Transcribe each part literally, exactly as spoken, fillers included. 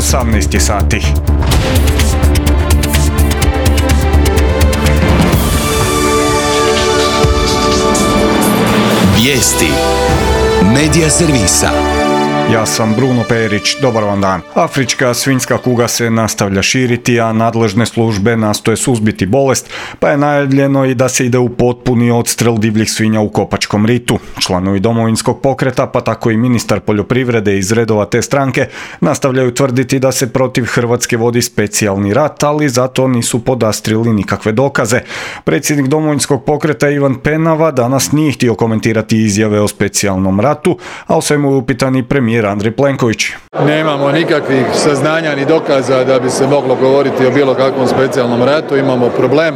osamnaest je sati. Vijesti Medija servisa. Ja sam Bruno Perić, dobar vam dan. Afrička svinjska kuga se nastavlja širiti, a nadležne službe nastoje suzbiti bolest, pa je najavljeno i da se ide u potpuni odstrel divljih svinja u Kopačkom ritu. Članovi Domovinskog pokreta, pa tako i ministar poljoprivrede iz redova te stranke, nastavljaju tvrditi da se protiv Hrvatske vodi specijalni rat, ali zato nisu podastrili nikakve dokaze. Predsjednik Domovinskog pokreta Ivan Penava danas nije htio komentirati izjave o specijalnom ratu, a o svemu je upitan i premijer Andrej Plenković. Nemamo nikakvih saznanja ni dokaza da bi se moglo govoriti o bilo kakvom specijalnom ratu. Imamo problem,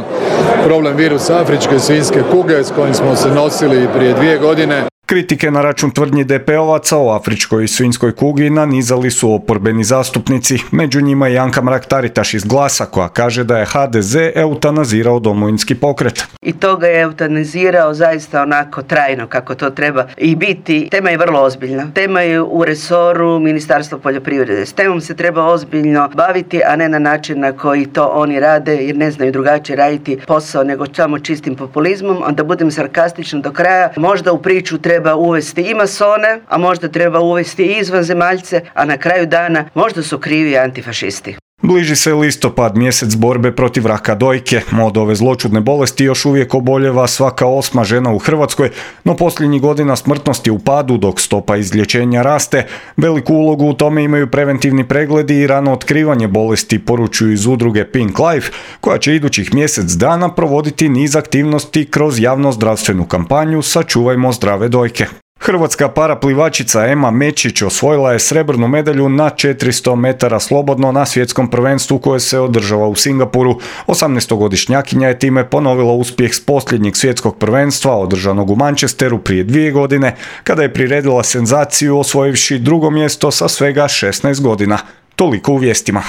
problem virusa afričke svinjske kuge s kojim smo se nosili prije dvije godine. Kritike na račun tvrdnji de pe ovaca o afričkoj svinjskoj kugi nanizali su oporbeni zastupnici, među njima i Anka Mrak-Taritaš iz Glasa, koja kaže da je ha de ze eutanazirao Domovinski pokret. I to ga je eutanazirao zaista onako trajno kako to treba i biti. Tema je vrlo ozbiljna. Tema je u resoru Ministarstva poljoprivrede. S temom se treba ozbiljno baviti, a ne na način na koji to oni rade, jer ne znaju drugačije raditi posao nego samo čistim populizmom. Onda budem sarkastična do kraja. Možda u priču treba treba uvesti i masone, a možda treba uvesti i izvanzemaljce, a na kraju dana možda su krivi antifašisti. Bliži se listopad, mjesec borbe protiv raka dojke. Od ove zloćudne bolesti još uvijek oboljeva svaka osma žena u Hrvatskoj, no posljednjih godina smrtnost je u padu dok stopa izlječenja raste. Veliku ulogu u tome imaju preventivni pregledi i rano otkrivanje bolesti, poručuju iz udruge Pink Life, koja će idućih mjesec dana provoditi niz aktivnosti kroz javno-zdravstvenu kampanju Sačuvajmo zdrave dojke. Hrvatska paraplivačica Ema Mečić osvojila je srebrnu medalju na četiristo metara slobodno na svjetskom prvenstvu koje se održava u Singapuru. osamnaestogodišnjakinja je time ponovila uspjeh s posljednjeg svjetskog prvenstva održanog u Manchesteru prije dvije godine, kada je priredila senzaciju osvojivši drugo mjesto sa svega šesnaest godina. Toliko u vijestima.